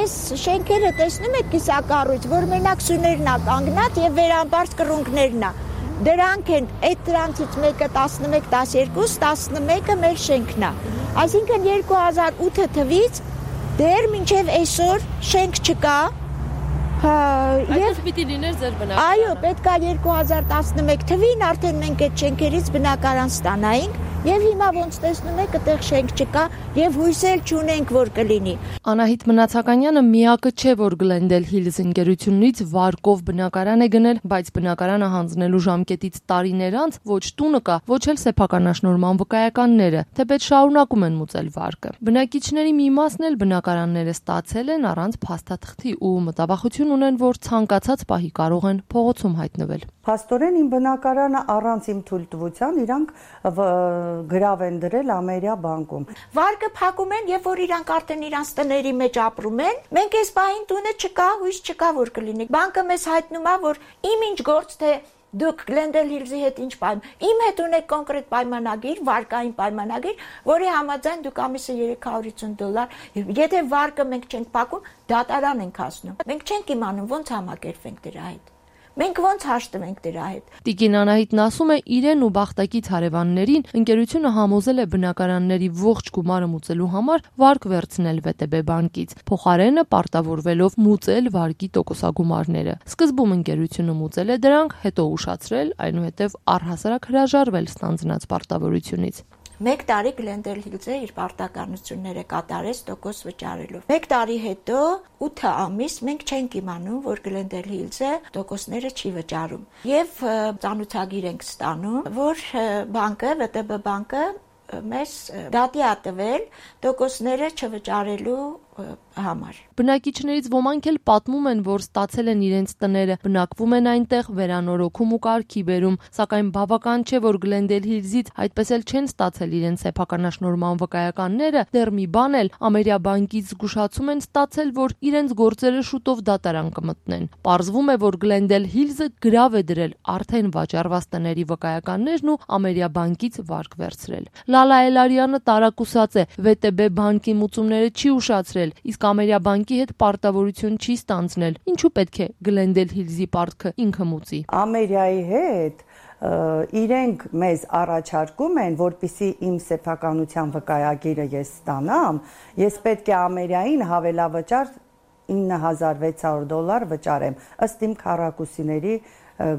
այս շենքերը տեսնում եք կիսակառույց, որ մենակ սյուներն է կանգնած եւ վերամբարձ կռունկներն է։ Դրանք են, այդ դրանցից մեկը 11, 12, 11-ը մեր շենքն է։ Այսինքն 2008 թվից դեռ մինչև այսօր շենք չկա։ Եվ պիտի լիներ ձեր բնակարանը։ Այո, պետք է 2011 թվին արդեն մենք այդ շենքերից բնակարան ստանայինք, եւ հիմա ոնց տեսնում եք, այդտեղ շենք չկա եւ հույսել չունենք, որ կլինի։ Անահիտ Մնացականյանը միակը չէ, որ Glendale Hills ընկերությունից վարկով բնակարան է գնել, բայց բնակարանը հանձնելու ժամկետից տարիներ անց ոչ տունը կա, ոչ էլ սեփականաշնորհման վկայականները, թեպետ շարունակում են մուծել վարկը։ Բնակիչների մի մասն էլ բնակարանները ստացել են առանց փաստաթղթի ու մտավախություն ունեն, որ ցանկացած պահի կարող են փողոցում հայտնվել։ Փաստորեն իմ բնակարանը առանց իմ թույլտվության իրանք գրավ են դրել Ամերիա բանկում։ Վարկը փակում են, երբ որ իրանք արդեն իրանց տների մեջ ապրում են, մենք այս պահին տունը չկա, հույս չկա, որ կլինի։ Բանկը մեզ հայտնում է, որ իմ ինչ գործ թե դուք Glendale Hills-ի հետ ինչ իմ հետ ունեք կոնկրետ պայմանագիր, վարկային պայմանագիր, որի համաձայն դուք ամիսը $350, եթե վարկը մենք չենք փակում, դատարան ենք հասնում։ Մենք չենք իմանում ոնց համակերպենք դրա հետ։ Մենք ոնց հաշտվենք դրա հետ։ Տիկին Անահիտն ասում է, իրեն ու բախտակից հարևաններին ընկերությունը համոզել է բնակարանների ողջ գումարը մուծելու համար վարկ վերցնել ՎՏԲ բանկից, փոխարենը պարտավորվելով մուծել վարկի տոկոսագումարները։ Սկզբում ընկերությունը մուծել է դրանք, հետո ուշացրել, այնուհետև առհասարակ հրաժարվել ստանձնած պարտավորությունից։ 1 տարի Glendale Hills-ը իր պարտականությունները կատարեց տոկոս վճարելով։ 1 տարի հետո 8 ամիս մենք չենք իմանում, որ Glendale Hills-ը տոկոսները չի վճարում։ Եվ ծանոթագիր ենք ստանում, որ բանկը, ՎՏԲ բանկը մեզ դատի է տվել տոկոսները չվճարելու համար։ Բնակիչներից ոմանք էլ պատմում են, որ ստացել են իրենց տները, բնակվում են այնտեղ, վերանորոգում ու կարգի բերում, սակայն բավական չէ, որ Glendale Hills-ից այդպես էլ չեն ստացել իրենց սեփականաշնորհման վկայականները, դեռ մի բան էլ Ամերիա բանկից զգուշացում են ստացել, որ իրենց գործերը շուտով դատարան կմտնեն։ Պարզվում է, որ Glendale Hills-ը գրավ է դրել արդեն վաճառված տների վկայականներն ու Ամերիա բանկից վարկ վերցրել։ Լալա Էլարյանը տարակուսած է, ՎՏԲ բանկի մուծումները չի ուշացրել, իսկ Ամերիա բանկի հետ պարտավորություն չի ստանձնել։ Ինչու պետք է Glendale Hills-ի պարտքը ինքը մուծի։ Ամերիայի հետ իրենք մեզ առաջարկում են, որպեսզի իմ սեփականության վկայագիրը ես ստանամ, ես պետք է Ամերիային հավելավճար $9,600 վճարեմ, ըստ իմ քառակուսիների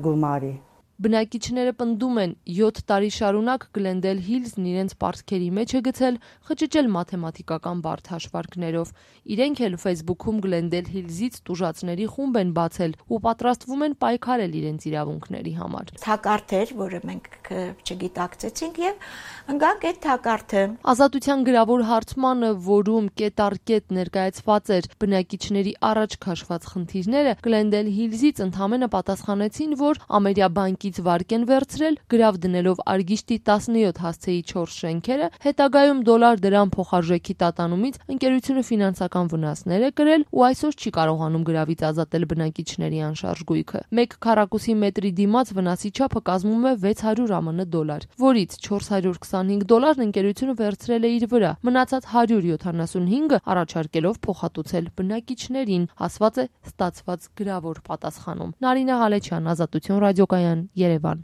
գումարի։ Բնակիչները պնդում են 7 տարի շարունակ Glendale Hills-ն իրենց պարտքերի մեջ է գցել, խճճել մաթեմատիկական բարդ հաշվարկներով։ Իրենք էլ Facebook-ում Glendale Hills-ից տուժածների խումբ են բացել ու պատրաստվում են պայքարել իրենց իրավունքների համար։ Թակարդ էր, որը մենք չգիտակցեցինք եւ ընկանք այդ թակարդը։ Ազատության գրավոր հարցմանը, որում կետ առ կետ ներկայացված էր բնակիչների առաջ քաշված խնդիրները, Glendale Hills-ից ընդհանրապես պատասխանեցին, որ Ամերիա բանկից վարկ են վերցրել, գրավ դնելով արգիշտի 17 հասցեի 4 շենքերը, հետագայում $1 դրամ փոխարժեքի տատանումից ընկերությունը ֆինանսական վնասներ է կրել ու այսօր չի կարողանում գրավից ազատել բնակիչների անշարժ գույքը։ 1 քառակուսի մետրի դիմաց վնասի չափը կազմում է $600 ԱՄՆ, որից $425 ընկերությունը վերցրել է իր վրա, մնացած 175-ը առաջարկելով փոխհատուցել բնակիչներին, ասված է ստացված գրավոր պատասխանում։ Նարինե Ղալեչյան, Ազատություն ռադիոկայան, Երևան։